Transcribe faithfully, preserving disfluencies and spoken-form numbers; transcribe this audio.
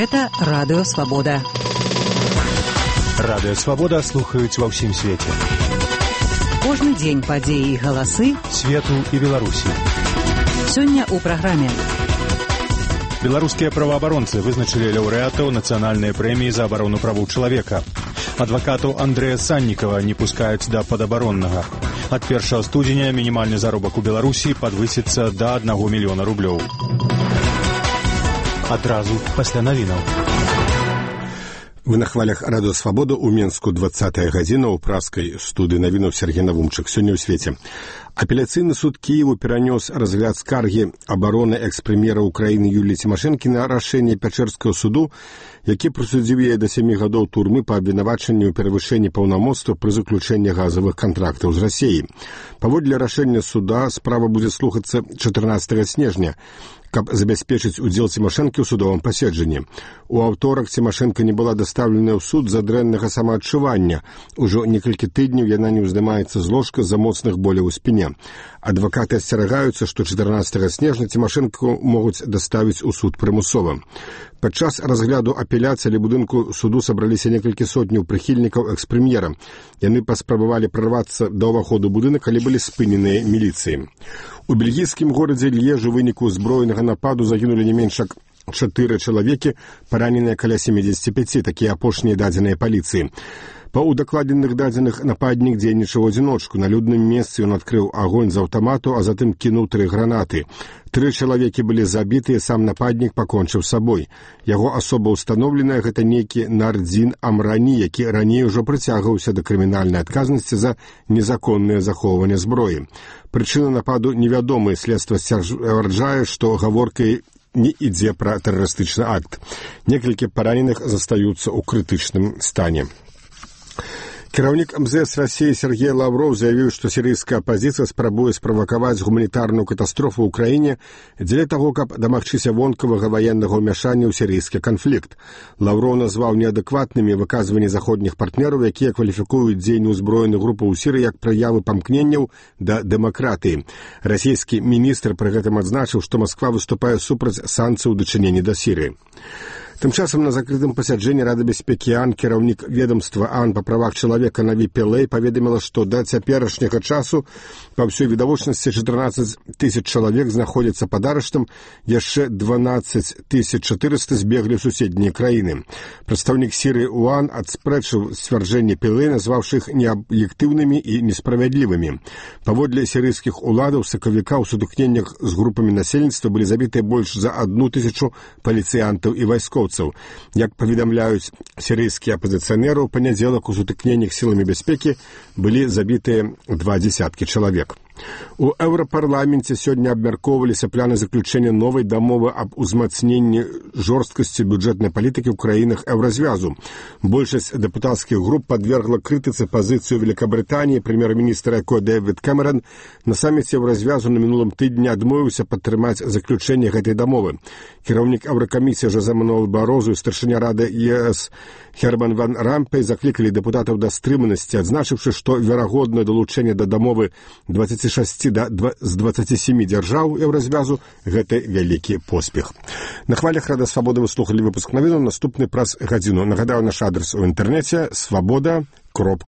Гэта Радыё Свабода. Радыё Свабода слухаюць ва ўсім свеце. Кожны дзень падзеі і галасы свету і Беларусі. Сёння ў праграме. Беларускія праваабаронцы вызначылі лаўрэатаў нацыянальнай прэміі за абарону правоў чалавека. Адвакатаў Андрэя Саннікава не пускаюць да падабароннага. Ад першага студзеня мінімальны заробак у Беларусі падвысіцца да аднаго мільёна рублёў. Адразу пасля навінаў. Вы на хвалях Радыё Свабода ў Менску двадцатая гадзіна ў праскай студыі навінаў Сергей Навумчык. Сёння ў свеце. Апеляцыйны суд Киеву перанёс разгляд скаргі абароны экс-прэм'ера Украіны Юліі Цімашэнкі на рашэнне Пячэрскага суду, які прысудзіў яе да сямі гадоў турмы па абвінавачанню ў перавышэнні паўнамоцтва пры заключэнні газавых кантрактаў з Расіяй. Паводле рашэння суда справа будзе слухацца чатырнаццатага снежня, каб забяспечыць удзел Цімашэнкі ў судовым паседжанні. У аўторак Цімашэнка не была дастаўленая ў суд з-за дрэннага самаадчування. Ужо некалькі тыдняў яна не ўздымаецца з ложка з-за моцных боляў у спіне. Адвакаты асцерагаюцца, што чатырнаццатага снежня Цімашэнку могуць даставіць у суд прымусова. Падчас разгляду апеляцыі ля будынку суду сабраліся некалькі сотняў прыхільнікаў экс-прэм'ера. Яны паспрабавалі прарвацца да ўваходу будынак, але былі спыненыя міліцыяй. У бельгійскім горадзе Льежу ў выніку збройнага нападу загінулі не менш як чатыры чалавекі, параненыя каля семдзесят пяць, такія апошнія дадзеныя паліцыі. Па удакладненых дадзеных нападнік дзейнічаў у адзіночку. На людным месцы ён адкрыў агонь з аўтамату, а затым кінуў тры гранаты. Тры чалавекі былі забітыя, сам нападнік пакончыў сабой. Яго асоба ўстаноўленая, гэта нейкі Нардзін Амрані, які раней ужо прыцягваўся да крымінальнай адказнасці за незаконнае захоўванне зброі. Прычына нападу невядомая, следства сцвярджае, што гаворкай не ідзе пра тэрарыстычны акт. Некалькі параненых застаюцца ў крытычным стане. Кіраўнік эм зэ эс Расіі Сергей Лавров заявіў, што сірыйская апазіцыя спрабуе справакаваць гуманітарную катастрофу ў краіне дзеля таго, каб дамагчыся вонкавага ваеннага ўмяшання ў сірыйскі канфлікт. Лавров назваў неадэкватнымі выказванні заходніх партнераў, якія кваліфікуюць дзеянне ўзброеных групаў у Сірыі як праявы памкненняў да дэмакратыі. Расійскі міністр пры гэтым адзначыў, што Масква выступае супраць санкцый у дачыненні да Сірыі. Тым часам на закрытым пасяджэнні Рады бяспекі ААН кіраўнік ведомства ААН па правах чалавека Наві Пілэй паведаміла, што да цяперашняга часу па ўсёй відавочнасці чатырнаццаць тысяч чалавек знаходзяцца пад арыштам, яшчэ дванаццаць тысяч чатырыста збеглі ў суседнія краіны. Прадстаўнік Сірыі ў ААН адспрэчыў сцвярджэнні Пілэй, назваўшы іх неаб'ектыўнымі і несправядлівымі. Паводле сірыйскіх уладаў сакавіка ў сутыкненнях з групамі насельніцтва былі забітыя больш за адну тысячу паліцыянтаў і вайскоўцаў. Як паведамляюць сірыйскія апазіцыянеры, у панядзелак у сутыкненнях сіламі бяспекі былі забітыя два дзесяткі чалавек. У Еўрапарламенце сёння абмяркоўваліся планы заключэння новай дамовы аб узмацненні жорсткасці бюджэтнай палітыкі ў краінах Еўразвязу. Большасць дэпутацкіх груп падвергла крытыцы пазіцыю Великабрытаніі. Прэм'ер-міністр якой Дэвід Кэмерон на саміце Еўразвязу на мінулым тыдні адмовіўся падтрымаць заключэнне гэтай дамовы. Кіраўнік Еўракамісіі Жозе Мануэль Барозу і старшыня Рады ЕС Герман ван Рампей заклікалі дэпутатаў да стрыманасці, адзначыўшы, што верагоднае далучэнне да дамовы дваццаць шэсць да дваццаці сямі дзяржаў Еўразвязу гэта вялікі поспех. На хвалях Радыё Свабода вы слухалі выпуск навінаў, наступны праз гадзіну. Нагадаю, наш адрес у інтэрнэце свабода кропка